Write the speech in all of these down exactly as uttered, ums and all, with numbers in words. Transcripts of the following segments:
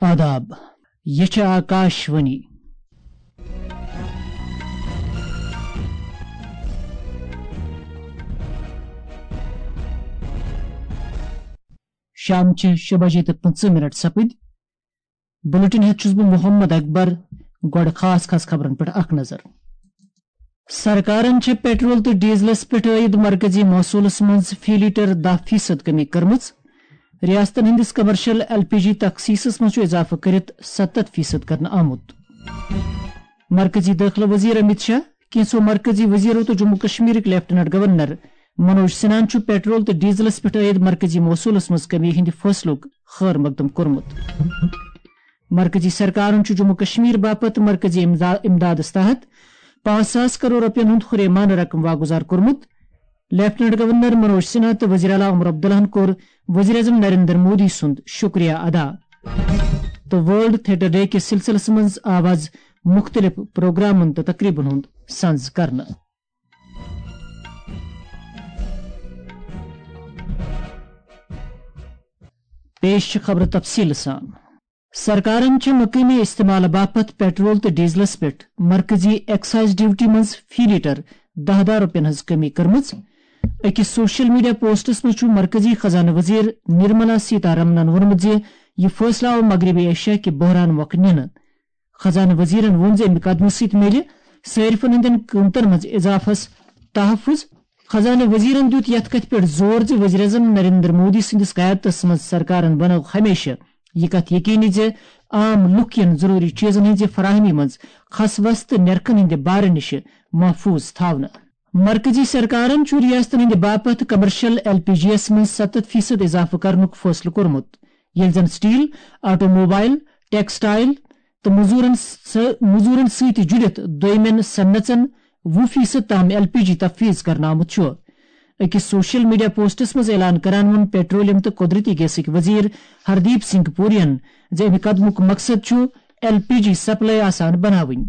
آداب، یہِ چھِ آکاش وانی۔ شام چھِ شےٚ بجے تہٕ پٕنٛژٕہ منٹ سپٕدۍ۔ بُلٹن ہیٚتھ چھُس بہٕ محمد اکبر۔ گۄڈٕ خاص خاص خبرن پٮ۪ٹھ اکھ نظر۔ سرکارن چھےٚ پیٹرول تہٕ ڈیزلس پٮ۪ٹھ عٲید مرکزی محصولس منٛز فی لیٹر دَہ فیصد کمی کٔرمٕژ۔ ریاستن ہٕنٛدِس کمرشل ایل پی جی تخصیصس منٛز چھُ اضافہٕ کٔرِتھ ستتھ فیصد کرنہٕ آمُت۔ مرکزی دٲخلہٕ وزیر امیت شاہ، کینٛژھو مرکزی وزیرو تہٕ جموں کشمیرٕکۍ لیفٹیننٹ گورنر منوج سنہاہن چھُ پیٹرول تہٕ ڈیزلس پٮ۪ٹھ عٲید مرکزی محصولس منٛز کمی ہٕنٛدِ فٲصلُک خٲر مقدم کوٚرمُت۔ مرکزی سرکارن چھُ جموں کشمیر باپتھ مرکزی امدا-، امدادس تحت پانٛژھ ساس کرور رۄپین ہُنٛد ہُریمانہٕ رقم واگُزار کوٚرمُت۔ لیفٹیننٹ گورنر منوج سنہا تہٕ وزیر اعلیٰ عمر عبداللہن کوٚر وزیر اعظم نریندر مودی سُنٛد شُکریہ ادا۔ تہٕ ورلڈ تھیٹر ڈے کِس سلسلس منٛز آو از مُختٔلِف پروگرامن تہٕ تقریبن ہُنٛد سنز کرنہٕ۔ پیش چھِ خبرٕ تفصیٖل سان۔ سرکارن چھِ مقٲمی استعمال باپتھ پیٹرول تہٕ ڈیزلس پٮ۪ٹھ مرکزی ایکسائز ڈیوٹی منٛز فی لیٹر دَہ دَہ رۄپین ہٕنٛز کمی کٔرمٕژ۔ أکِس سوشل میڈیا پوسٹس منٛز چھُ مرکزی خزانہٕ وزیر نرملا سیتارمنن ووٚنمُت زِ یہِ فٲصلہٕ آو مغربی ایشیا کہِ بحران مۄکھٕ نِنہٕ۔ خزانہٕ وزیرن ووٚن زِ اَمہِ قدمہٕ سۭتۍ میلہِ صٲرفن ہٕنٛدٮ۪ن قۭمتن منٛز اضافس تحفظ۔ خزانہٕ وزیرن دیُت یَتھ کَتھِ پٮ۪ٹھ زور زِ وزیر اعظم نریندر مودی سٕنٛدِس قیادتس منٛز سرکارن بنٲو ہمیشہٕ یہِ کَتھ یقینی زِ عام لُکھ یِن ضروٗری چیزن ہٕنٛزِ فراہمی منٛز کھس وس تہٕ نرخن ہٕنٛدِ بارٕ نِش محفوظ تھاونہٕ۔ مرکزی سرکارن چھُ ریاستن ہٕنٛدِ باپتھ کمرشل ایل پی جی یس منٛز ستتھ فیصد اضافہٕ کرنُک فٲصلہٕ کوٚرمُت، ییٚلہِ زن سٹیل، آٹو موبائل، ٹیکسٹائل تہٕ مزورن سہ-، مزورن سۭتۍ جُڑِتھ دوٚیمٮ۪ن صنعژن وُہ فیصد تام ایل پی جی تفویض کرنہٕ آمُت چھُ۔ أکِس سوشل میڈیا پوسٹس منٛز اعلان کران ووٚن پیٹرولیم تہٕ قدرتی گیسٕکۍ وزیر ہردیپ سنگھ پورین زِ اَمہِ قدمُک مقصد چھُ ایل پی جی سپلائی آسان بناوٕنۍ۔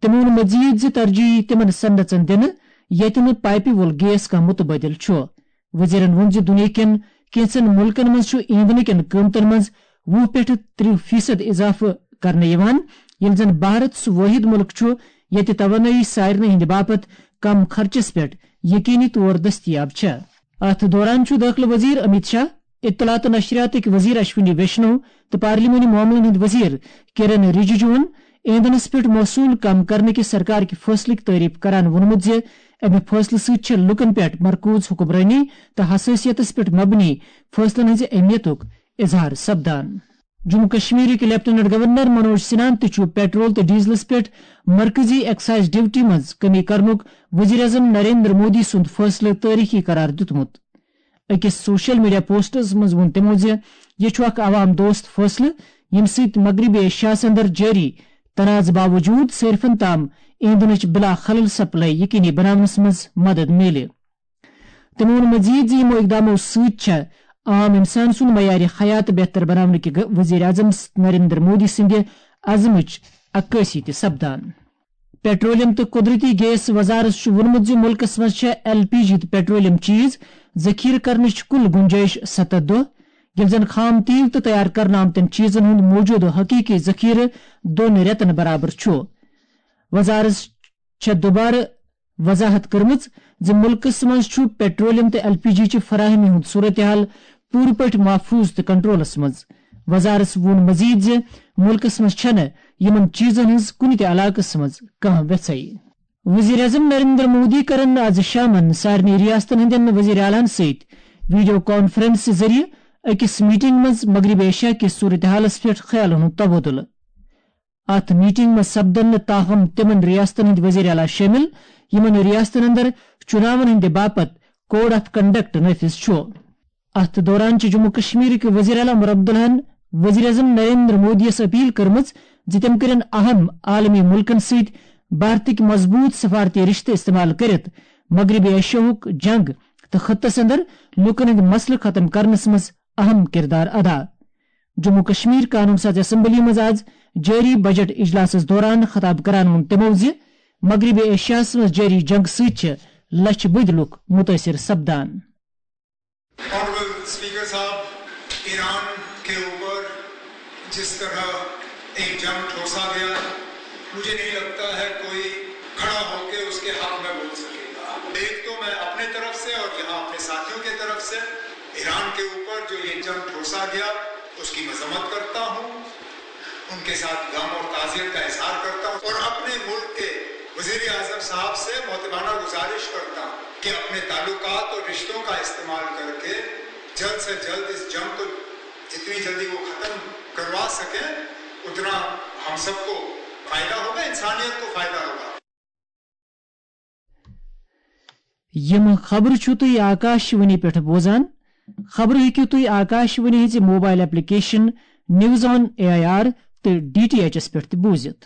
تٔمۍ ووٚن مزید زِ ترجیح یِیہِ تِمن صنعژن دِنہٕ ییٚتہِ نہٕ پائپہِ وول گیس کانٛہہ متبادل چھُ۔ وزیرن ووٚن زِ دُنیا کٮ۪ن کینٛژن مُلکن منٛز چھُ ایندھنہٕ کٮ۪ن قۭمتن منٛز وُہ پٮ۪ٹھ ترٕٛہ فیصد اضافہٕ کرنہٕ یِوان، ییٚلہِ زن بھارت سُہ وٲحد مُلک چھُ ییٚتہِ توانٲیی سارنٕے ہٕنٛدِ باپتھ کم خرچس پٮ۪ٹھ یقینی طور دٔستیاب چھےٚ۔ اتھ دوران چھُ دٲخلہٕ وزیر امیت شاہ، اطلاعات تہٕ نشریاتٕکۍ وزیر اشونی ویشنو تہٕ پارلیمانی معاملن ہٕنٛدۍ وزیر کرن رجیجوہن ایندھنس پٮ۪ٹھ محصول کم کرنہٕ کہِ سرکار کہِ فٲصلٕکۍ تعریف کران ووٚنمُت زِ امہِ فٲصلہٕ سۭتۍ چھےٚ لوٗکن پٮ۪ٹھ مرکوز حکمرٲنی تہٕ حساسیتس پٮ۪ٹھ مبنی فٲصلن ہٕنٛزِ اہمیتُک اظہار سپدان۔ جموں کشمیرٕکۍ لیفٹیننٹ گورنر منوج سنہاہن تہِ چھُ پیٹرول تہٕ ڈیزلس پٮ۪ٹھ مرکزی ایکسائز ڈیوٹی منٛز کمی کرنُک وزیر اعظم نریندر مودی سُنٛد فٲصلہٕ تٲریخی قرار دیُتمُت۔ أکِس سوشل میڈیا پوسٹس منٛز ووٚن تِمو زِ یہِ چھُ اکھ عوام دوست فٲصلہٕ، ییٚمہِ سۭتۍ مغربی ایشیاہَس اندر جٲری تنازٕ باوجود صٲرفَن تام ایندھنٕچ بلا خلل سپلائی یقینی بناونَس منٛز مدد میلہِ۔ تٔمۍ ووٚن مزید زِ یِمو اقدامو سۭتۍ چھےٚ عام انسان سُنٛد معیار حیات بہتر بناونہٕ کہِ وزیر اعظم نریندر مودی سٕنٛدِ عزمٕچ عکٲسی تہِ سپدان۔ پیٹرولیم تہٕ قدرتی گیس وزارت چھُ ووٚنمُت زِ مُلکَس منٛز چھےٚ ایل پی جی تہٕ پیٹرولیم چیز ذخیرٕ کرنٕچ کُل گُنجٲیِش ستتھ دۄہ، ییٚلہِ زَن خام تیل تہٕ تیار کرنہٕ آمتٮ۪ن چیزن ہُنٛد موٗجوٗدٕ حقیقی ذخیرٕ دۄن رٮ۪تن برابر چھُ۔ وزارت چھےٚ دوبارٕ وضاحت کٔرمٕژ زِ مُلکَس منٛز چھُ پیٹرولیم تہٕ ایل پی جی چہِ فراہمی ہُنٛد صورتحال پوٗرٕ پٲٹھۍ محفوظ تہٕ کنٹرولَس منٛز۔ وزارت ووٚن مزید زِ مُلکَس منٛز چھَنہٕ یِمَن چیزن ہٕنٛز کُنہِ تہِ علاقَس منٛز کانٛہہ وٮ۪ژھٕے۔ وزیر اعظم نریندر مودی کرن از شامن سارنٕے ریاستن ہٕنٛدٮ۪ن وزیر اعلیٰ ہن سۭتۍ ویڈیو کانفرنس ذٔریعہٕ أکِس میٹنگ منٛز مغربی ایشیا کِس صورتحالَس پٮ۪ٹھ خیالَن ہُنٛد تبادلہٕ۔ اتھ میٹنگ منٛز سپدن نہٕ تاہم تِمن ریاستن ہٕنٛدۍ وزیر اعلیٰ شٲمِل، یِمن ریاستن اندر چُناون ہٕنٛدِ باپتھ کوڈ آف کنڈکٹ نافذ چھُ۔ اتھ دوران چھِ جموں کشمیرٕکۍ وزیر اعلیٰ عمر عبداللہن وزیر اعظم نریندر مودی یس اپیل کٔرمٕژ زِ تِم کٔرِن اہم عالمی مُلکن سۭتۍ بھارتٕکۍ مضبوٗط سفارتی رشتہٕ استعمال کٔرِتھ مغربی ایشیاہُک جنگ تہٕ خطس اندر لوٗکن ہٕنٛدۍ مسلہٕ ختم کرنس منٛز اہم کردار ادا۔ جموں کشمیر قانون ساز اسمبلی منٛز آز جٲری بجٹ اجلاسس دوران خطاب کران ووٚن تِمو زِ مغربی ایشیاہس منٛز جٲری جنگ سۭتۍ چھِ لچھِ بٔدۍ لوٗکھ مُتٲثِر سپدان۔ Honorable Speaker صاحب، ایران کے اوپر जिस तरह एक जंग ठोंसा गया, मुझे नहीं लगता है कोई खड़ा होकर उसके हक में बोल सकेगा। एक तो मैं अपने तरफ से और यहाँ अपने साथियों के तरफ से ईरान के ऊपर जो ये जंग ठोंसा गया, उसकी मजम्मत करता हूँ, उनके साथ गम और ताजियत का इजहार करता हूँ और अपने मुल्क के वजीर आजम साहब से मोहतबाना गुजारिश करता हूँ कि अपने ताल्लुकात और रिश्तों का इस्तेमाल करके जल्द से जल्द इस जंग को जितनी जल्दी वो खत्म करवा सके, उतना हम सबको फायदा होगा, इंसानियत को फायदा होगा। یِم خبرٕ چھِو تُہۍ آکاشوانی پٮ۪ٹھ بوزان۔ خبرٕ ہیٚکِو تُہۍ آکاشوانی ہٕنٛزِ mobile application news on A I R تہٕ ڈی ٹی ایچ ایس پٮ۪ٹھ تہِ بوٗزِتھ۔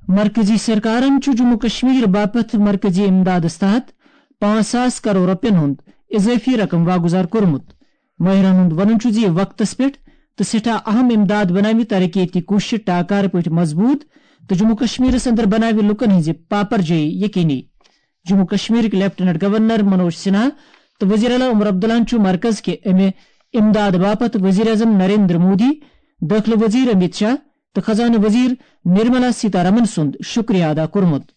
مرکزی سرکارن چھُ جموں کشمیر باپتھ مرکزی امدادس تحت پانٛژھ ساس کرور رۄپین ہُنٛد اضٲفی رقم واگُزار کوٚرمُت۔ مٲہرن ہُنٛد وَنُن چھُ زِ یہِ وقتس پٮ۪ٹھ تہٕ سٮ۪ٹھاہ اہم امداد بناوِ ترقیتی کوٗششہٕ ٹاکارٕ پٲٹھۍ مضبوٗط تہٕ جموں کشمیرس اندر بناوِ لوٗکن ہٕنٛزِ پاپرجٲیی یقینی۔ جموں کشمیرٕکۍ لیفٹیننٹ گورنر منوج سنہا تہٕ وزیر اعلیٰ عمر عبداللہن چھُ مرکز کہِ امہِ امداد باپتھ وزیر اعظم نریندر مودی، دٲخلہٕ وزیر امیت شاہ تہٕ خزانہٕ وزیر نرملا سیتارمن سُنٛد شکریہ ادا کوٚرمُت۔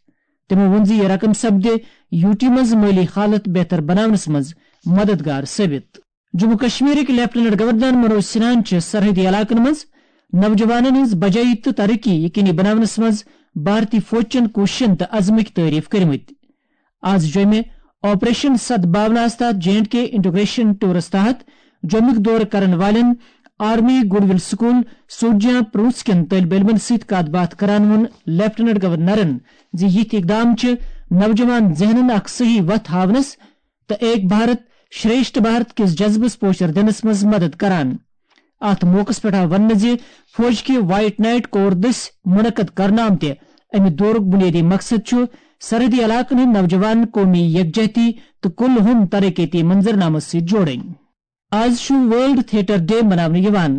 تِمو ووٚن زِ یہِ رقم سپدِ یوٗ ٹی منٛز مٲلی حالت بہتر بناونس منٛز مددگار ثٲبت۔ جموں کشمیرٕکۍ لیفٹیننٹ گورنر منوج سنہاہن چھِ سرحدی علاقن منٛز نوجوانن ہٕنٛز بجٲیی تہٕ ترقی یقینی بناونس منٛز بھارتی فوج چٮ۪ن کوٗششن تہٕ عزمٕکۍ تعریف کٔرمٕتۍ۔ آز جوٚمہِ آپریشن ست بھاوناہس تحت جے اینڈ کے انٹیگریشن ٹورس تحت جوٚمُک دورٕ کرن والٮ۪ن آرمی گڈ ول سکول سوڈجاں پرونس کٮ۪ن طٲلبہِ علمن سۭتۍ کتھ باتھ کران ووٚن لیفٹیننٹ گورنرن زِ یِتھۍ اقدام چھِ نوجوان ذہنن اکھ صحیح وتھ ہاونس تہٕ ایک بھارت شریشٹھ بھارت کِس جذبس پوچھر دِنس منٛز مدد کران۔ اتھ موقعس پٮ۪ٹھ آو وننہٕ زِ فوج کہِ وائٹ نائٹ کور دٔسۍ منعقد کرنہٕ آمتہِ امہِ دورُک بنیٲدی مقصد چھُ سرحدی علاقن ہٕنٛدۍ نوجوان قومی یکجہتی تہٕ کُل ہُم ترقیتی منظرنامس سۭتۍ جوڑٕنۍ۔ آز چھُ ورلڈ تھیٹر ڈے مناونہٕ یِوان۔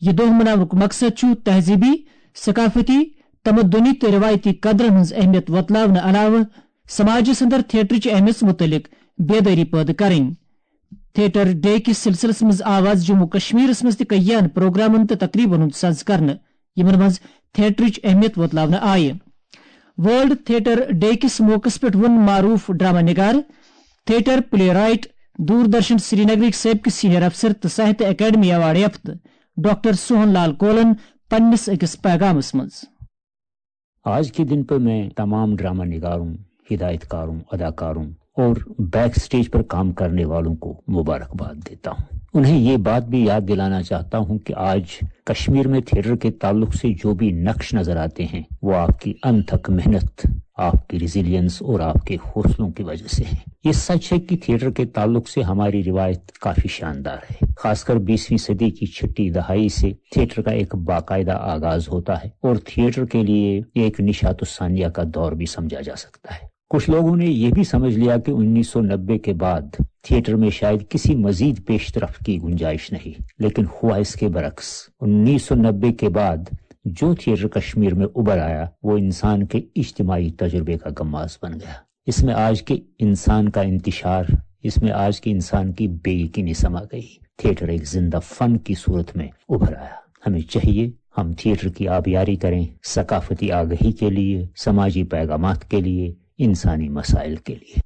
یہِ دۄہ مناونُک مقصد چھُ تہذیٖبی، ثقافتی، تمدنی تہٕ رِوایتی قدرن ہٕنٛز اہمیت وۄتلاونہٕ علاوٕ سماجس اندر تھیٹرٕچ اہمیت مُتعلق بیدٲری پٲدٕ کرٕنۍ۔ تھیٹر ڈے کِس سلسلس منٛز آو آز جموں کشمیرس منٛز تہِ کئیان پروگرامن تہٕ تقریبن ہُنٛد سنز کرنہٕ، یِمن منٛز تھیٹرٕچ اہمیت وۄتلاونہٕ آیہِ۔ ورلڈ تھیٹر ڈے کِس موقعس پٮ۪ٹھ ووٚن معروف ڈرامہ نگار، تھیٹر پلے رائٹ، دوردرشن سرینگرٕکۍ سٲبقہٕ سینئر افسر تہٕ ساہتیہ اکیڈمی ایوارڈ یافتہٕ ڈاکٹر سوہن لال کولن پننِس أکِس پیغامس منٛز۔ آج کے دن پر میں تمام ڈرامہ نگاروں، ہدایت کاروں، اداکاروں اور بیک سٹیج پر کام کرنے والوں کو مبارکباد دیتا ہوں۔ انہیں یہ بات بھی یاد دلانا چاہتا ہوں کہ آج کشمیر میں تھیٹر کے تعلق سے جو بھی نقش نظر آتے ہیں، وہ آپ کی انتھک محنت، آپ کی ریزیلینس اور آپ کے حوصلوں کی وجہ سے ہیں۔ یہ سچ ہے کہ تھیٹر کے تعلق سے ہماری روایت کافی شاندار ہے۔ خاص کر بیسویں صدی کی چھٹی دہائی سے تھیٹر کا ایک باقاعدہ آغاز ہوتا ہے اور تھیٹر کے لیے ایک نشاۃ الثانیہ کا دور بھی سمجھا جا سکتا ہے۔ کچھ لوگوں نے یہ بھی سمجھ لیا کہ انیس سو نبے کے بعد تھیٹر میں شاید کسی مزید پیش رفت کی گنجائش نہیں، لیکن ہوا اس کے برعکس۔ انیس سو نبے کے بعد جو تھیٹر کشمیر میں ابھر آیا، وہ انسان کے اجتماعی تجربے کا غماز بن گیا۔ اس میں آج کے انسان کا انتشار، اس میں آج کے انسان کی بے یقینی سما گئی۔ تھیٹر ایک زندہ فن کی صورت میں ابھر آیا۔ ہمیں چاہیے ہم تھیٹر کی آبیاری کریں، ثقافتی آگہی کے لیے، سماجی پیغامات کے لیے، انسانی مسائل کے لیے۔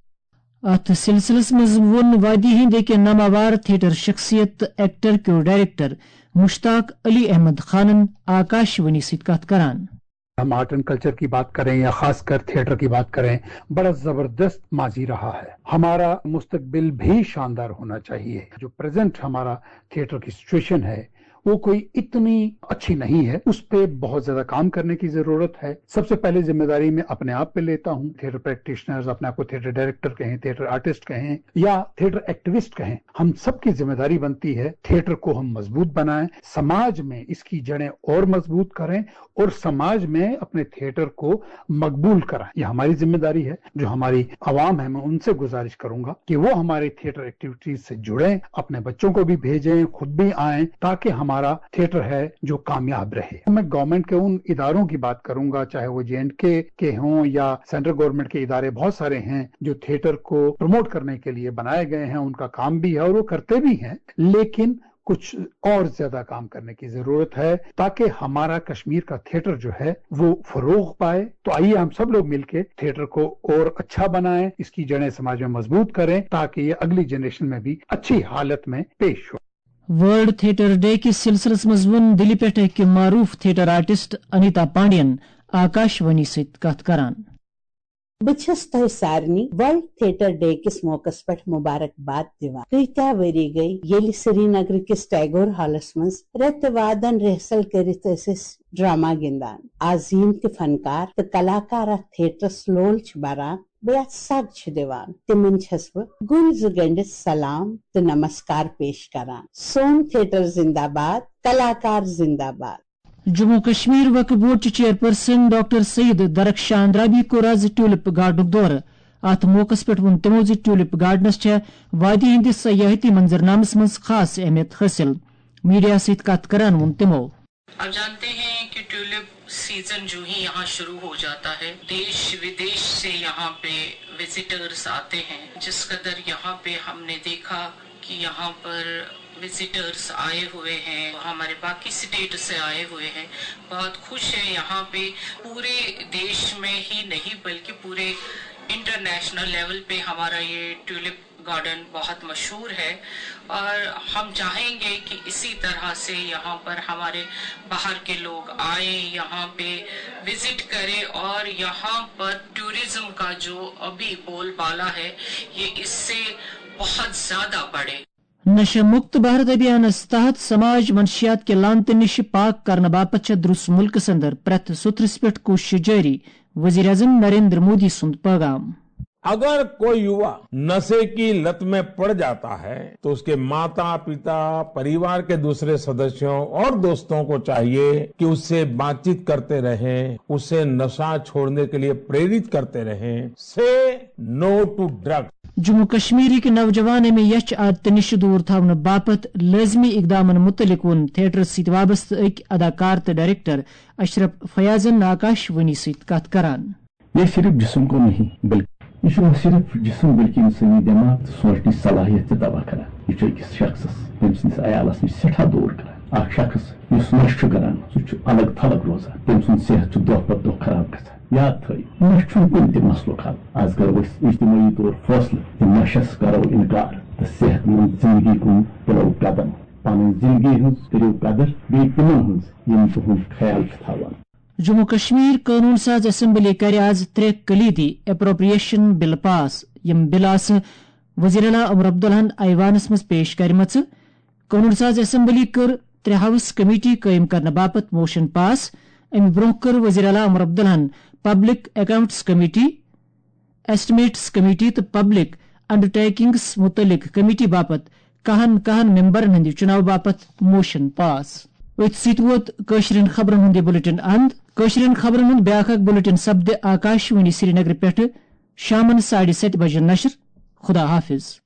اتھ سلسلس منٛز ووٚن وادی ہٕنٛدۍ أکۍ ناماوار تھیٹر شخصیت تہٕ ایکٹر کیو ڈائریکٹر مشتاق علی احمد خانن آکاشوانی سۭتۍ کتھ کران۔ ہم آرٹ اینڈ کلچر کی بات کریں یا خاص کر تھیٹر کی بات کریں، بڑا زبردست ماضی رہا ہے۔ ہمارا مستقبل بھی شاندار ہونا چاہیے۔ جو پریزنٹ ہمارا تھیٹر کی سچویشن ہے، وہ کوئی اتنی اچھی نہیں ہے، اس پہ بہت زیادہ کام کرنے کی ضرورت ہے۔ سب سے پہلے ذمہ داری میں اپنے آپ پہ لیتا ہوں، تھیٹر پریکٹیشنرز، اپنے آپ کو تھیٹر ڈائریکٹر کہیں، تھیٹر آرٹسٹ کہیں یا تھیٹر ایکٹیوسٹ کہیں، ہم سب کی ذمہ داری بنتی ہے تھیٹر کو ہم مضبوط بنائیں، سماج میں اس کی جڑیں اور مضبوط کریں اور سماج میں اپنے تھیٹر کو مقبول کرائیں۔ یہ ہماری ذمہ داری ہے۔ جو ہماری عوام ہے، میں ان سے گزارش کروں گا کہ وہ ہمارے تھیٹر ایکٹیویٹیز سے جڑیں، اپنے بچوں کو بھی بھیجیں، خود بھی آئیں، تاکہ ہمارا تھیٹر ہے جو کامیاب رہے۔ میں گورنمنٹ کے ان اداروں کی بات کروں گا، چاہے وہ جے اینڈ کے کے ہوں یا سینٹرل گورنمنٹ کے ادارے بہت سارے ہیں جو تھیٹر کو پروموٹ کرنے کے لیے بنائے گئے ہیں، ان کا کام بھی ہے اور وہ کرتے بھی ہیں، لیکن कुछ और ज्यादा काम करने की जरूरत है, ताकि हमारा कश्मीर का थिएटर जो है वो फरोग पाए। तो आइए हम सब लोग मिलके थिएटर को और अच्छा बनाएं, इसकी जड़ें समाज में मजबूत करें, ताकि ये अगली जनरेशन में भी अच्छी हालत में पेश हो। ورلڈ تھیٹر ڈے کِس سلسلس منٛز ووٚن دِلہِ پٮ۪ٹھ أکۍ معروٗف تھیٹر آرٹسٹ انیتا پانڈین آکاش وانی سۭتۍ کتھ کران۔ بہٕ چھَس تۄہہِ سارنٕے ورلڈ تھیٹر ڈے کِس موقعس پٮ۪ٹھ مبارکباد دِوان۔ کۭتیاہ ؤری گٔے ییٚلہِ سرینگرٕ کِس ٹیگور ہالس منٛز رٮ۪تہٕ وادن ریہسل کٔرِتھ ٲسۍ أسۍ ڈرامہ گِنٛدان۔ آز یِم تہِ فنکار تہٕ کلاکار اتھ تھیٹرس لول چھِ بران، بیٚیہِ اتھ سگ چھِ دِوان، تِمن چھَس بہٕ گُلۍ زٕ گٔنٛڈِتھ سلام تہٕ نمسکار پیش کران۔ سون تھیٹر زندہ باد، کلاکار زندہ باد۔ جموں کشمیر وقف بورڈ چہِ چیئرپرسن ڈاکٹر سید درخشان رابی کوٚر آز ٹیولپ گارڈنُک دورٕ۔ اتھ موقعس پٮ۪ٹھ ووٚن تِمو زِ ٹیولپ گارڈنس چھےٚ وادی ہٕنٛدِس سیاحتی منظرنامس منٛز خاص اہمیت حٲصِل۔ میڈیا سۭتۍ کتھ کران ووٚن تِمو۔ آپ جانتے ہیں کہ ٹیولپ سیزن جو ہی یہاں شروع ہو جاتا ہے، دیش ودیش سے یہاں پہ وزٹرز آتے ہیں۔ جس قدر یہاں پہ ہم نے دیکھا کہ یہاں پر وزٹرز آئے ہوئے ہیں، ہمارے باقی سٹیٹ سے آئے ہوئے ہیں، بہت خوش ہیں یہاں پہ۔ پورے دیش میں ہی نہیں بلکہ پورے انٹرنیشنل لیول پہ ہمارا یہ ٹیولپ گارڈن بہت مشہور ہے اور ہم چاہیں گے کہ اسی طرح سے یہاں پر ہمارے باہر کے لوگ آئیں، یہاں پہ وزٹ کریں اور یہاں پر ٹورزم کا جو ابھی بول بالا ہے، یہ اس سے بہت زیادہ بڑھے۔ نشہ مکت بھارت ابھیانس تحت سماج منشیات کہِ لعنتہٕ نِش پاک کرنہٕ باپتھ چھےٚ درُس مُلکس اندر پرٛٮ۪تھ سوٚتھرِس پٮ۪ٹھ کوٗشش جٲری، وزیر اعظم نریندر مودی سُنٛد پیغام۔ अगर कोई युवा नशे की लत में पड़ जाता है तो उसके माता, पिता, परिवार के दूसरे सदस्यों और दोस्तों को चाहिए कि उससे बातचीत करते रहें, उसे नशा छोड़ने के लिए प्रेरित करते रहें। Say no to drugs. Jammu کشمیرٕکۍ نوجوان امہِ یچھ عادتہٕ نِش دوٗر تھاونہٕ باپتھ لٲزمی اقدامن مُتعلق ووٚن تھیٹرس سۭتۍ وابستہٕ أکۍ اداکار تہٕ ڈائریکٹر اشرف فیاضن آکاش وانی سۭتۍ کتھ کران۔ یہ صرف جسم کو نہیں بلکہ یہ چھُ نہ صرف جسم بلکہ انسانی دماغ تہٕ سونچنٕچ صلاحیت تہِ تباہ کران۔ یہ چھُ أکِس شخصس، تٔمۍ سٕنٛدِس عیالس نِش سٮ۪ٹھاہ دوٗر کران۔ اکھ شخص یُس نشہٕ چھُ کران، سُہ چھُ الگ تھلگ روزان، تٔمۍ سُنٛد صحت چھُ دۄہ پتہٕ دۄہ خراب گژھان۔ یاد تھٲیِو، نشہٕ چھُنہٕ کُنہِ تہِ مسلُک حل۔ از کرو أسۍ اجتمٲعی طور فٲصلہٕ زِ نشس کرو انکار تہٕ صحت مند زندگی کُن تُلو قدم۔ پنٕنۍ زندگی ہٕنٛز کٔرِو قدر، بیٚیہِ تِمن ہٕنٛز یِم تُہُنٛد خیال چھِ تھاوان۔ جموں کشمیر قونوٗن ساز اسمبلی کرِ آز ترٛےٚ کلیدی اپروپریشن بل پاس۔ یِم بل آسہٕ وزیر اعلیٰ عمر عبداللہن ایوانس منٛز پیش کرِمژٕ۔ قونوٗن ساز اسمبلی کٔر ترٛےٚ ہاؤس کمیٹی قٲیِم کرنہٕ باپتھ موشن پاس۔ اَمہِ برٛونٛہہ کٔر وزیر اعلیٰ عمر عبداللہن پبلک اکاؤنٹس کمیٹی، ایسٹمیٹس کمیٹی تہٕ پبلک انڈرٹیکنگس مُتعلق کمیٹی باپتھ کاہن کاہن ممبرن ہٕنٛدِ چُناو باپتھ موشن پاس۔ أتھۍ سۭتۍ ووت کٲشرٮ۪ن خبرن ہُنٛد یہِ بلیٹن اند۔ کٲشرٮ۪ن خبرن ہُنٛد بیٛاکھ اکھ بلیٹن سپدِ آکاش وانی سرینگرٕ پٮ۪ٹھٕ شامن ساڑِ ستہِ بجہِ نشر۔ خدا حافظ۔